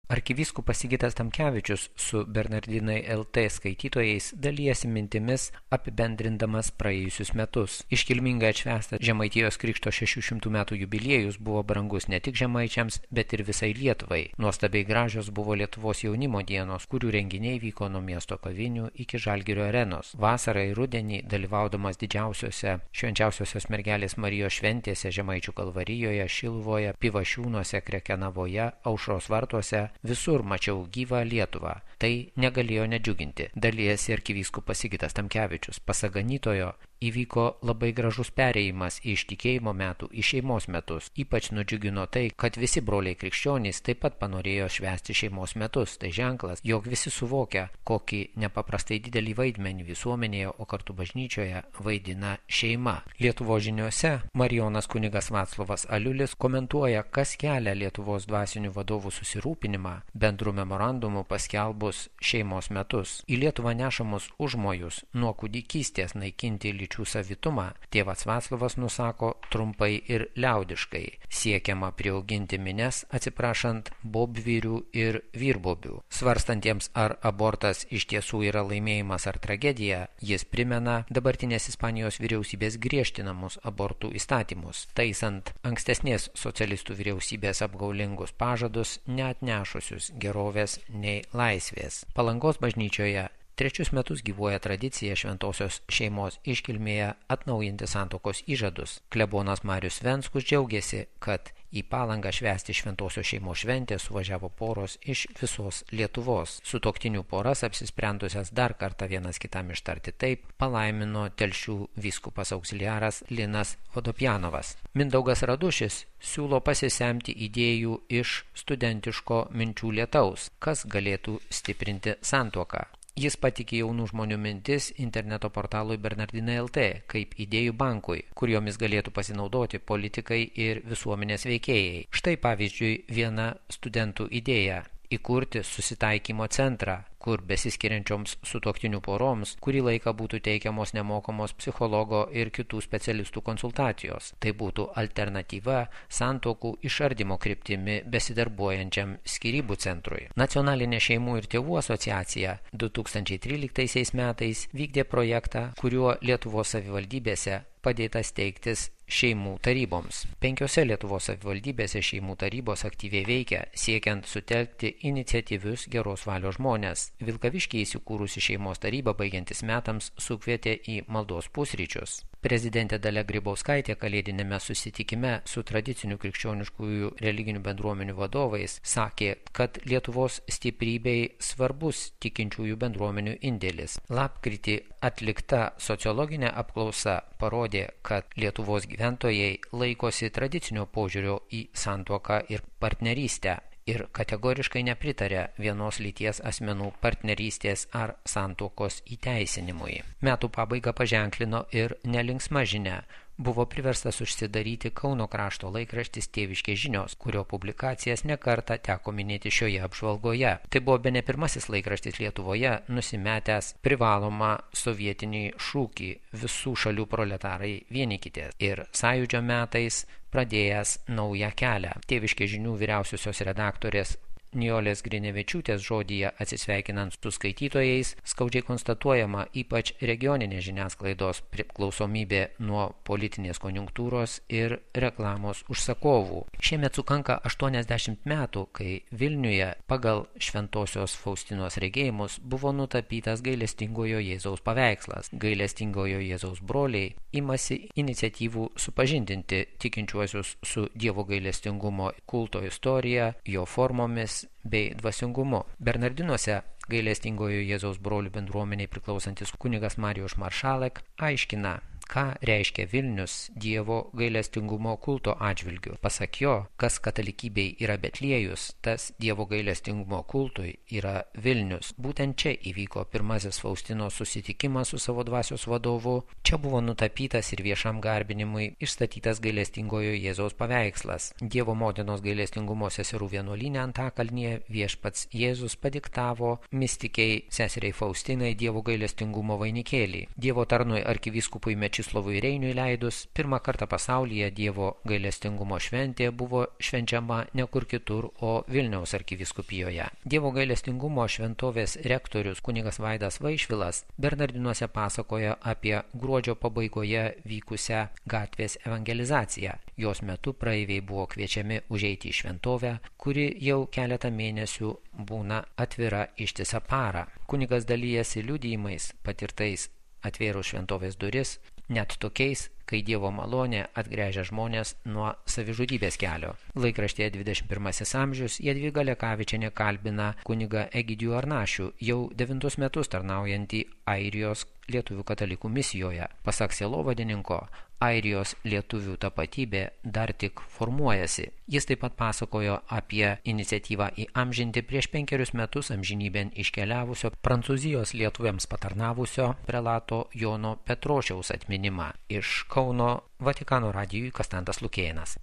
Arkivyskupas Sigitas Tamkevičius su Bernardinai LT skaitytojais dalijasi mintimis apibendrindamas praėjusius metus. Iškilmingai atšvęstas Žemaitijos Krikšto 600 metų jubiliejus buvo brangus ne tik žemaičiams, bet ir visai Lietuvai. Nuostabiai gražios buvo Lietuvos jaunimo dienos, kurių renginiai vyko nuo miesto kavinių iki Žalgirio arenos. Vasarą ir rudenį, dalyvaudamas didžiausiose švenčiausiosios mergelės Marijos šventėse Žemaičių Kalvarijoje, Šiluvoje, Pivašiūnuose, Krekenavoje, Aušros vartuose, visur mačiau gyvą Lietuvą. Tai negalėjo nedžiuginti. Dalijasi arkivyskupas Sigitas Tamkevičius. Pasak ganytojo, įvyko labai gražus perėjimas iš tikėjimo metų į šeimos metus. Ypač nudžiugino tai, kad visi broliai krikščionys taip pat panorėjo švęsti šeimos metus. Tai ženklas, jog visi suvokia, kokį nepaprastai didelį vaidmenį visuomenėje, o kartu bažnyčioje vaidina šeima. Lietuvos žiniose Marijonas kunigas Vaclovas Aliulis komentuoja, kas kelia Lietuvos dvasinių vadovų susirūpinimą bendrų memorandumų paskelbus šeimos metus. Į Lietuvą nešamus užmojus nuo kūdikystės naikinti lyčių savitumą tėvas Vaclovas nusako trumpai ir liaudiškai. Siekiama priauginti mines, atsiprašant bobvyrių ir vyrbobių. Svarstantiems, ar abortas iš tiesų yra laimėjimas ar tragedija, jis primena dabartinės Ispanijos vyriausybės griežtinamus abortų įstatymus, taisant ankstesnės socialistų vyriausybės apgaulingus pažadus, neatnešusius gerovės nei laisvės. Palangos bažnyčioje 3 metus gyvuoja tradicija šventosios šeimos iškilmėje atnaujinti santuokos įžadus. Klebonas Marius Venskus džiaugiasi, kad į Palangą švęsti šventosios šeimos šventę suvažiavo poros iš visos Lietuvos. Sutuoktinių poras, apsisprendusias dar kartą vienas kitam ištarti taip, palaimino Telšių vyskupas auxiliaras Linas Vodopjanovas. Mindaugas Radušis siūlo pasisemti idėjų iš studentiško minčių lietaus, kas galėtų stiprinti santuoką. Jis patikė jaunų žmonių mintis interneto portalui Bernardinai LT kaip idėjų bankui, kuriomis galėtų pasinaudoti politikai ir visuomenės veikėjai. Štai pavyzdžiui viena studentų idėja – įkurti susitaikymo centrą, kur besiskiriančioms sutuoktinių poroms kurį laiką būtų teikiamos nemokamos psichologo ir kitų specialistų konsultacijos. Tai būtų alternatyva santuokų išardymo kryptimi besidarbuojančiam skyrybų centrui. Nacionalinė šeimų ir tėvų asociacija 2013 metais vykdė projektą, kuriuo Lietuvos savivaldybėse padėta steigtis šeimų taryboms. 5 Lietuvos savivaldybėse šeimų tarybos aktyviai veikia, siekiant sutelkti iniciatyvius geros valios žmonės. Vilkaviškyje įsikūrusi šeimos taryba baigiantis metams sukvietė į maldos pusryčius. Prezidentė Dalia Grybauskaitė kalėdinėme susitikime su tradicinių krikščioniškųjų religinių bendruomenių vadovais sakė, kad Lietuvos stiprybei svarbus tikinčiųjų bendruomenių indėlis. Lapkritį atlikta sociologinė apklausa parodė, kad Lietuvos gyventojai laikosi tradicinio požiūrio į santuoką ir partnerystę ir kategoriškai nepritarė vienos lyties asmenų partnerystės ar santuokos įteisinimui. Metų pabaigą paženklino ir nelinksma žinia. Buvo priverstas užsidaryti Kauno krašto laikraštis Tėviškės žinios, kurio publikacijas nekartą teko minėti šioje apžvalgoje. Tai buvo bene pirmasis laikraštis Lietuvoje nusimetęs privalomą sovietinį šūkį visų šalių proletarai vienykitės ir sąjūdžio metais pradėjęs naują kelią. Tėviškės žinių vyriausiosios redaktorės Nijolės Grinevičiūtės žodyje atsisveikinant su skaitytojais skaudžiai konstatuojama ypač regioninės žiniasklaidos priklausomybė nuo politinės konjunktūros ir reklamos užsakovų. Šiemet sukanka 80 metų, kai Vilniuje pagal Šventosios Faustinos regėjimus buvo nutapytas gailestingojo Jėzaus paveikslas. Gailestingojo Jėzaus broliai imasi iniciatyvų supažindinti tikinčiuosius su Dievo gailestingumo kulto istorija, jo formomis bei dvasingumu. Bernardinuose gailestingojo Jėzaus brolių bendruomeniai priklausantis kunigas Marijus Maršalek aiškina, ką reiškia Vilnius Dievo gailestingumo kulto atžvilgiu. Pasak jo, kas katalikybei yra Betliejus, tas Dievo gailestingumo kultui yra Vilnius. Būtent čia įvyko pirmasis Faustinos susitikimas su savo dvasios vadovu. Čia buvo nutapytas ir viešam garbinimui išstatytas gailestingojo Jėzaus paveikslas. Dievo motinos gailestingumo seserų vienuolyne Antakalnyje viešpats Jėzus padiktavo mistikei seseriai Faustinai Dievo gailestingumo vainikėlį. Dievo tarnui arkivyskupui Mečislovui Mečislovui Reiniui leidus, pirmą kartą pasaulyje Dievo gailestingumo šventė buvo švenčiama ne kur kitur, o Vilniaus arkivyskupijoje. Dievo gailestingumo šventovės rektorius kunigas Vaidas Vaišvilas Bernardinuose pasakoja apie gruodžio pabaigoje vykusią gatvės evangelizaciją. Jos metu praeiviai buvo kviečiami užeiti į šventovę, kuri jau keletą mėnesių būna atvira ištisą parą. Kunigas dalijasi liudijimais patirtais atvėrus šventovės duris, net tokiais, kai Dievo malonė atgręžia žmonės nuo savižudybės kelio. Laikraštyje 21 amžius Jadvyga Lekavičienė kalbina kunigą Egidijų Arnašių, jau 9 metus tarnaujantį Airijos lietuvių katalikų misijoje. Pasak sielovadininko, Airijos lietuvių tapatybė dar tik formuojasi. Jis taip pat pasakojo apie iniciatyvą įamžinti prieš 5 metus amžinybėn iškeliavusio Prancūzijos lietuviams patarnavusio prelato Jono Petrošiaus atminimą. Iš Kauno Vatikano radijui Kastantas Lukėnas.